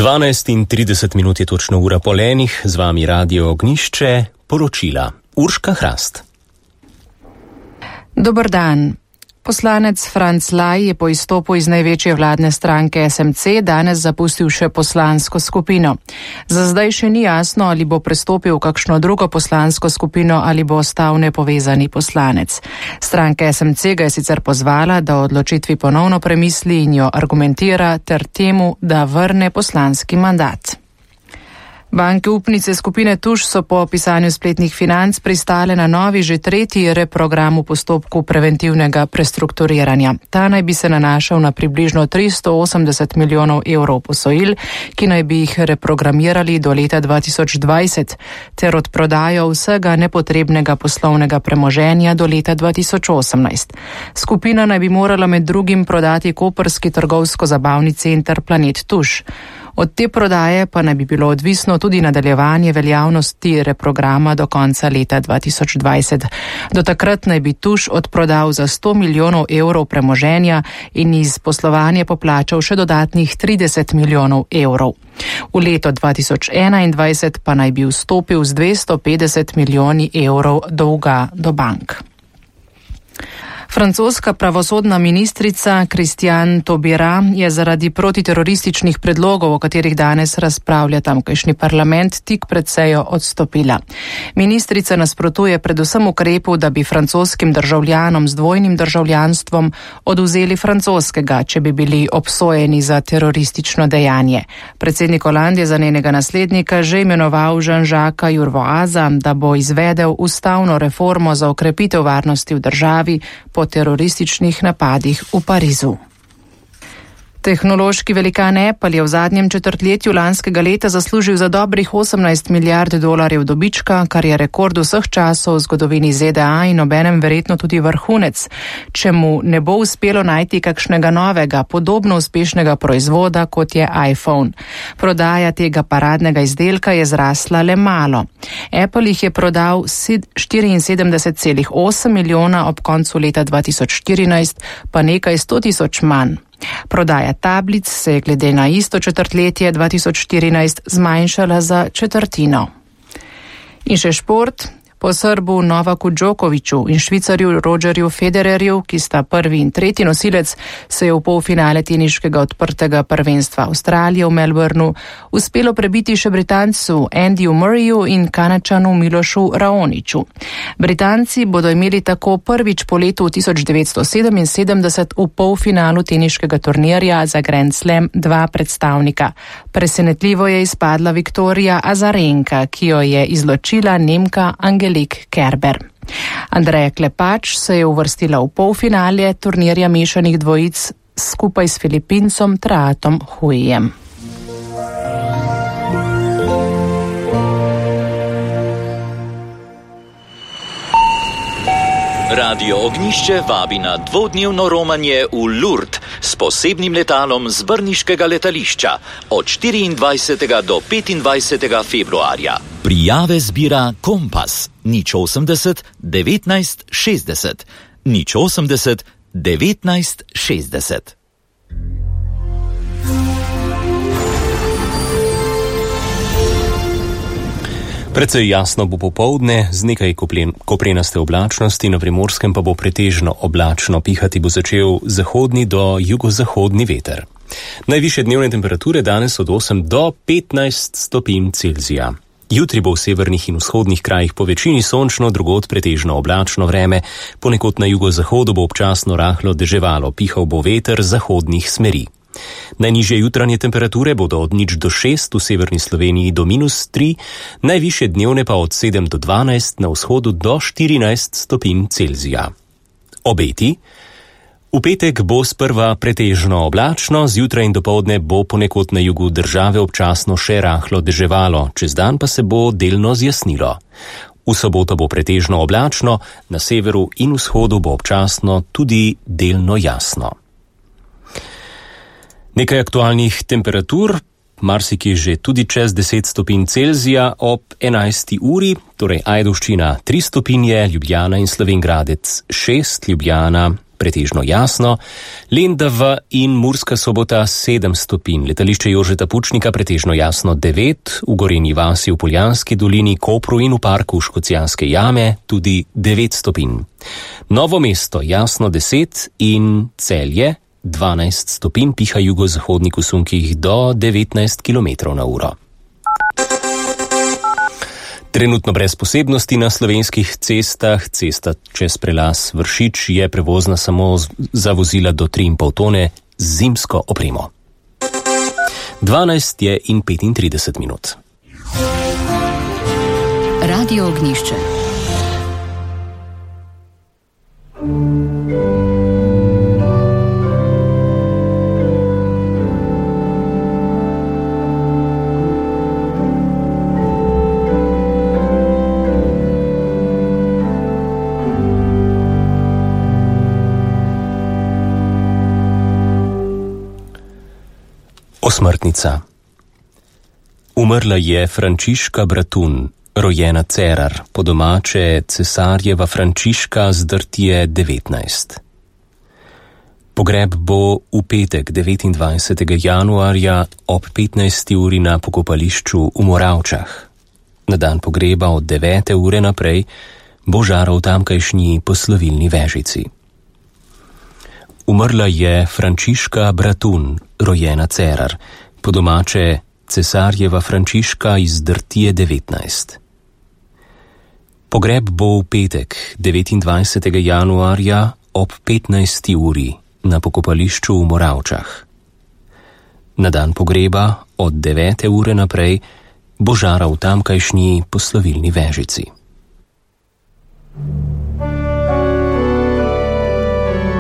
12:30 je točno ura po lenih, z vami Radio Ognišče, poročila. Urška Hrast. Dober dan. Poslanec Franc Laj je po izstopu iz največje vladne stranke SMC danes zapustil še poslansko skupino. Za zdaj še ni jasno, ali bo prestopil v kakšno drugo poslansko skupino ali bo ostal nepovezani poslanec. Stranka SMC ga je sicer pozvala, da o odločitvi ponovno premisli in jo argumentira ter temu, da vrne poslanski mandat. Banke upnice skupine Tuš so po opisanju spletnih financ pristale na novi, že tretji reprogram v postopku preventivnega prestrukturiranja. Ta naj bi se nanašal na približno 380 milijonov evrov posojil, ki naj bi jih reprogramirali do leta 2020, ter odprodajo vsega nepotrebnega poslovnega premoženja do leta 2018. Skupina naj bi morala med drugim prodati koprski trgovsko-zabavni center Planet Tuš. Od te prodaje pa naj bi bilo odvisno tudi nadaljevanje veljavnosti reprograma do konca leta 2020. Do takrat naj bi Tuš odprodal za 100 milijonov evrov premoženja in iz poslovanja poplačal še dodatnih 30 milijonov evrov. V leto 2021 pa naj bi vstopil z 250 milijoni evrov dolga do bank. Francoska pravosodna ministrica Christiane Taubira je zaradi protiterorističnih predlogov, o katerih danes razpravlja tamkajšnji parlament, tik pred sejo odstopila. Ministrica nasprotuje predvsem ukrepu, da bi francoskim državljanom z dvojnim državljanstvom odvzeli francoskega, če bi bili obsojeni za teroristično dejanje. Predsednik Hollande je za njenega naslednika že imenoval Jean-Jacques Urvoasa, da bo izvedel ustavno reformo za okrepitev varnosti v državi po terorističnih napadih v Parizu. Tehnološki velikan Apple je v zadnjem četrtletju lanskega leta zaslužil za dobrih 18 milijard dolarjev dobička, kar je rekord vseh časov v zgodovini ZDA in obenem verjetno tudi vrhunec, če mu ne bo uspelo najti kakšnega novega, podobno uspešnega proizvoda, kot je iPhone. Prodaja tega paradnega izdelka je zrasla le malo. Apple jih je prodal 74,8 milijona, ob koncu leta 2014 pa nekaj 100 tisoč manj. Prodaja tablic se je glede na isto četrtletje 2014 zmanjšala za četrtino. In še šport. Po Srbu Novaku Djokoviću in Švicarju Rogerju Federerju, ki sta prvi in tretji nosilec, se je v polfinale teniškega odprtega prvenstva Avstralije v Melbourneu uspelo prebiti še Britancu Andyju Murrayju in Kanačanu Milošu Raoniću. Britanci bodo imeli tako prvič po letu 1977 v polfinalu teniškega turnirja za Grand Slam dva predstavnika. Presenetljivo je izpadla Viktorija Azarenka, ki jo je izločila Nemka Angelique Kerber. Andreja Klepač se je uvrstila v polfinale turnirja mešanih dvojic skupaj s Filipincem Traatom Huijem. Radio Ognišče vabi na dvodnevno romanje v Lourdes s posebnim letalom z brniškega letališča od 24. do 25. februarja. Prijave zbira Kompas 080 19 60 080 19 60. Precej jasno bo popoldne, z nekaj koprenaste oblačnosti, na Primorskem pa bo pretežno oblačno, pihati bo začel zahodni do jugozahodni veter. Najvišje dnevne temperature danes od 8 do 15 stopinj Celzija. Jutri bo v severnih in vzhodnih krajih po večini sončno, drugod pretežno oblačno vreme, ponekod na jugozahodu bo občasno rahlo deževalo, pihal bo veter zahodnih smeri. Najnižje jutranje temperature bodo od 0 do 6 v severni Sloveniji do -3, najvišje dnevne pa od 7 do 12, na vzhodu do 14 stopinj Celzija. Obeti. V petek bo sprva pretežno oblačno, zjutraj in dopoldne bo ponekod na jugu države občasno še rahlo deževalo, čez dan pa se bo delno zjasnilo. V soboto bo pretežno oblačno, na severu in vzhodu bo občasno tudi delno jasno. Nekaj aktualnih temperatur, marsikje že tudi čez 10 stopinj Celzija ob 11. uri, torej Ajdovščina 3 stopinje, Ljubljana in Slovenj Gradec 6, Ljubljana pretežno jasno, Lendava in Murska Sobota 7 stopinj, letališče Jožeta Pučnika pretežno jasno 9, v Gorenji vasi v Poljanski dolini, Kopru in v parku Škocjanske jame tudi 9 stopinj. Novo mesto jasno 10 in Celje 12 stopinj, piha jugozahodnik v sunkih do 19 km/h. Trenutno brez posebnosti na slovenskih cestah. Cesta čez prelaz Vršič je prevozna samo za vozila do 3,5 tone z zimsko opremo. 12 je in 35 minut. Radio Ognjišče. Osmrtnica. Umrla je Frančiška Bratun, rojena Cerar, po domače cesarjeva Frančiška z Drtije 19. Pogreb bo v petek 29. januarja ob 15. uri na pokopališču v Moravčah. Na dan pogreba od 9. ure naprej bo žaral tamkajšnji poslovilni vežici. Umrla je Frančiška Bratun, rojena Cerar, po domače cesarjeva Frančiška iz Drtije 19. Pogreb bo v petek 29. januarja ob 15. uri na pokopališču v Moravčah. Na dan pogreba od 9. ure naprej bo žaral tamkajšnji poslovilni vežici.